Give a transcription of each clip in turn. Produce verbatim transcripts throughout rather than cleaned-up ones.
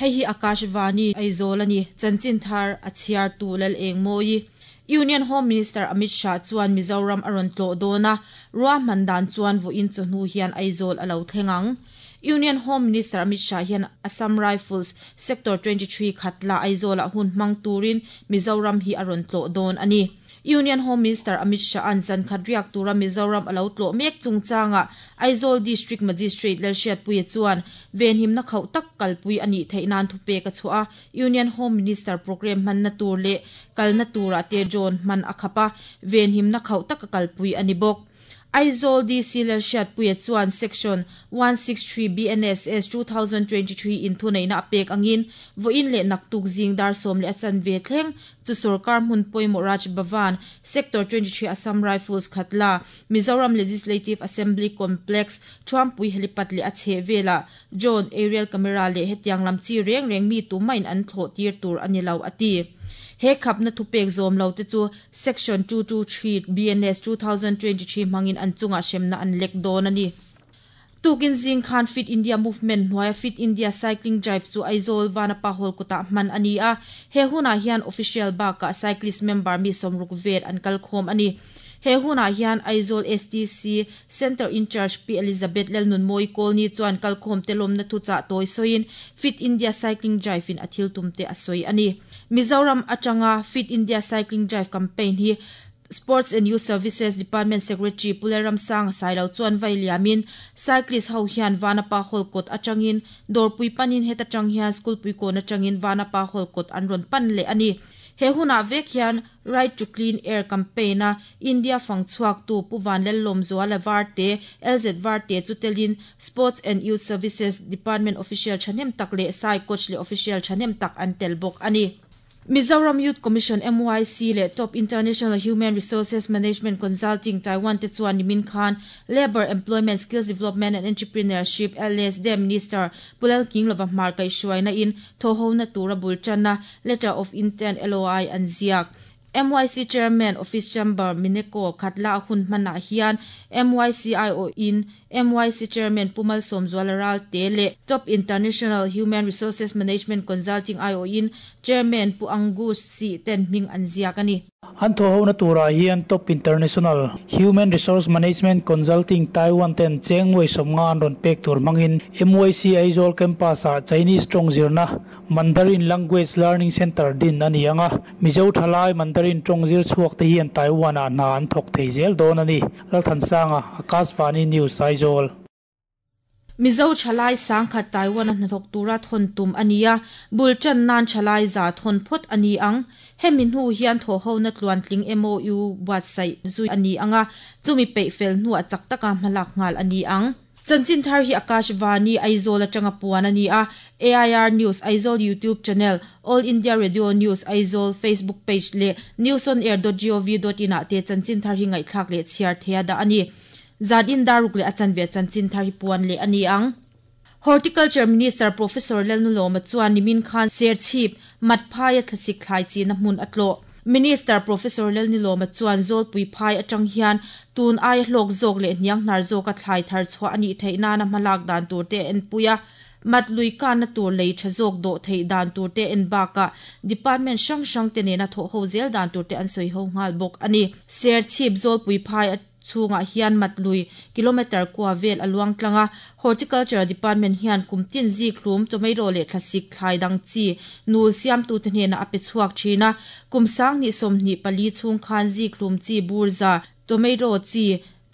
Hei hi Akashvani Aizawl ani chanchin thar a chhiar tu lal eng moi. Union Home Minister Amit Shah chuan Mizoram aron tlo dona ruwa mandan chuan vo in chu hnu hian Aizawl alo thlengang. Union Home Minister Amit Shah hian Assam Rifles Sector twenty-three Khatla Aizawl a hun mang turin Mizoram hi aron tlo don ani. Union Home Minister Amit Shah an zan khadriak tura Mizoram alo tlo mek chungchanga Aizawl District Magistrate Lalhriat Puia chuan venhim na khau tak kalpui ani theinan thupe ka chua Union Home Minister program man na tur le kalna tura te John man akhapa venhim na khau tak kalpui ani bok. Aizawl D C Lalhriat Puia chuan Section one sixty-three B N S S two thousand twenty-three in thunei na pek angin voin le naktuk zing dar som le achan ve thleng chu sarkar hmun poimo Raj Bhavan Sector twenty-three Assam Rifles Khatla Mizoram Legislative Assembly Complex Thuampui helipad le a che vela John aerial camera le hetiang lam chi reng reng mi tu main an thlo tir tur ani lo ati. He khap na thupek zom lo te chu Section two two three B N S two thousand twenty-three mangin an chunga semna an lek don ani. Tukin zing khan Fit India Movement hnuaia Fit India Cycling Drive chu Aizawl Vanapa Hall kuta man ani a. He huna hian official ba ka cyclist member mi somruk vet an kal khom ani. He huna hian Aizawl S T C Center in Charge P Elizabeth Lalnun Moi Kolni chuan kal khom telom na thu cha toi soin Fit India Cycling Drive in athil tumte asoi ani. Mizoram atanga Fit India Cycling Drive campaign hi Sports and Youth Services Department Secretary Puleram Sang Sailo chuan vailiamin cyclist ho hian Vanapa Hall kot atangin dorpui panin heta tang hian school pui kon atangin Vanapa Hall kot an ron pan le ani. He huna vek hian Right to Clean Air campaign a India fangchuak tu Puvan Lellom Zuala Varte L Z Varte chutelin Sports and Youth Services Department official chanem tak le sai coach le official chanem tak an tel bok ani. Mizoram Youth Commission M Y C le Top International Human Resources Management Consulting Taiwan te chuan nimin khan Labor Employment Skills Development and Entrepreneurship L S D Minister Pulal King lova mar kai shuaina in thoho na tura bulchana Letter of Intent L O I an ziak. M Y C Chairman Office Chamber Mineko Khatla hun mana hian M Y C I O in M Y C Chairman Pumal Somzualaral te le Top International Human Resources Management Consulting I O in Chairman Pu Angus Si ten ming an ziak ani. An tho ho na tura hian Top International Human Resource Management Consulting Taiwan ten chengwei somnga an ron pek tur mangin M Y C Aizawl campus a Chinese tong zirna Mandarin Language Learning Center din ani anga Mizo thalai Mandarin tong zir chuak te hian Taiwan a na an thok thei zel don ani. Lalthansanga, Akashvani News, Aizawl. Mizo chalai sangkhat Taiwan a hnathawk tura thon tum ania bulchan nan chalai za thon phot ani ang hemin hu hian tho ho na tluan tling M O U buat sai zui ani anga chumi pe fel nu a chak taka hmalak ngal ani ang. Chanchin thar hi Akashvani Aizawl atanga puan ani a. A I R News Aizawl YouTube channel, All India Radio News Aizawl Facebook page le news on air dot gov dot in a te chanchin thar hi ngai thlak le chhiar thea da ani. Zadin daruk le achan ve chanchin thar hi puan le ani ang. Horticulture Minister Professor Lalnuloma chuan nimin khan Serchhip Matphai thlasik thlai chi na hmun atlo. Minister Professor Lalnuloma chuan Zawlpui phai atang hian tun ai hlok zawk le hniang hnar zawk a thlai thar chhuah ani theihna na hmalak dan tur te en puia matlui kan na tur lei tha zawk do thei dan tur te en baka department hrang hrang te nena thaw ho zel dan tur te an sawi ho nghal bawk ani. Serchhip Zawlpui phai chunga hian matlui kilometer kwa vel aluang tlanga Horticulture Department hian kumtin zi khlum tomato le thlasik thlai dang chi nul siam tu te hne na ape chuak thina kumsang ni somni pali chung khan zi khlum chi burza tomato chi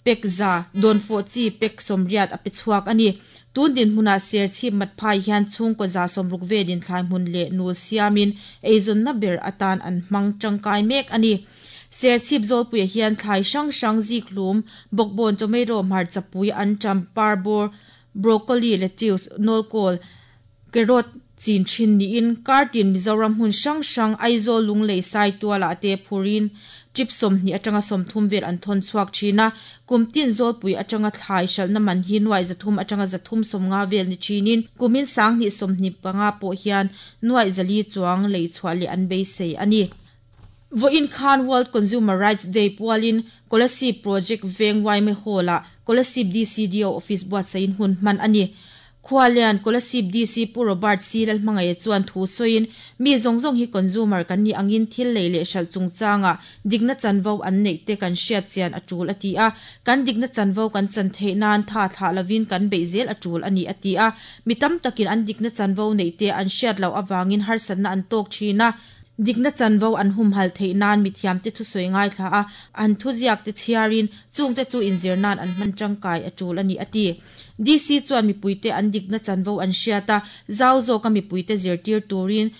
pekza donfo chi pek somriat ape chuak ani. Tun din hmuna Serchhip Matphai hian chung ko za somruk velin thlai hmun le nul siamin eizon na ber atan an hmang tangkai mek ani. Serchhip Zawlpui hian thlai hrang hrang zi khlum bawkbawn tomato hmar chapui anṭam parbawr broccoli lettuce nawlkawl carrot chin thin niin kartin Mizoram hmun hrang hrang Aizawl lunglei sai tuala te phurin chip sawmhnih atanga sawmthum vel an thawn chhuak thina kumtin Zawlpui atanga thlai hralhna man hi nuai zathum atanga zathum sawmnga vel ni thinin kumin sanghnih sawmhnih panga pawh hian nuai zali chuang lei chhuah leh an beisei ani. Voin Khan World Consumer Rights Day pualin Kolasib Project Veng Waime Hall a Kolasib D C D O Office buat sain hun man ani. Khualian Kolasib D C Pu Robert C Lalhmangaih chuan thu sawiin mi zawng zawng hi consumer kan ni angin thil lei leh hralh chungchanga dikna chanvo an neih te kan hriat chian a tul a ti a, kan dikna chanvo kan chan theih nan tha thlah lovin kan beih zel a tul ani a ti a, mi tam takin an dikna chanvo neih te an hriat loh awangin harsatna an tawk thin a, dikna chanvo an humhal theih nan mi thiam te thusawi ngai thla a, an thuziak te chhiarin chung te chu inzir nan an hman tangkai a tul ani a ti. D C chuan mipuite an dikna chanvo an hriata zau zawka mipuite zirtir turin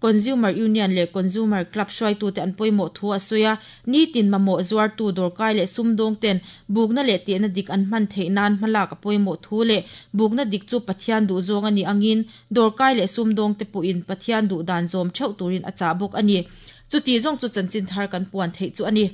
Consumer Union leh Consumer Club hruaitute an pawimawh thu a sawi a, nitin mamawh zuartu dawrkai leh sumdawng ten bukna leh tehna dik an hman theih nan hmalak a pawimawh thu leh bukna dik chu Pathian duh zawng ani angin dawrkai leh sumdawng te pawhin Pathian duh dan zawm theuh turin a chah bawk ani. Chuti zawng chu chanchin thar kan puan theih chu ani.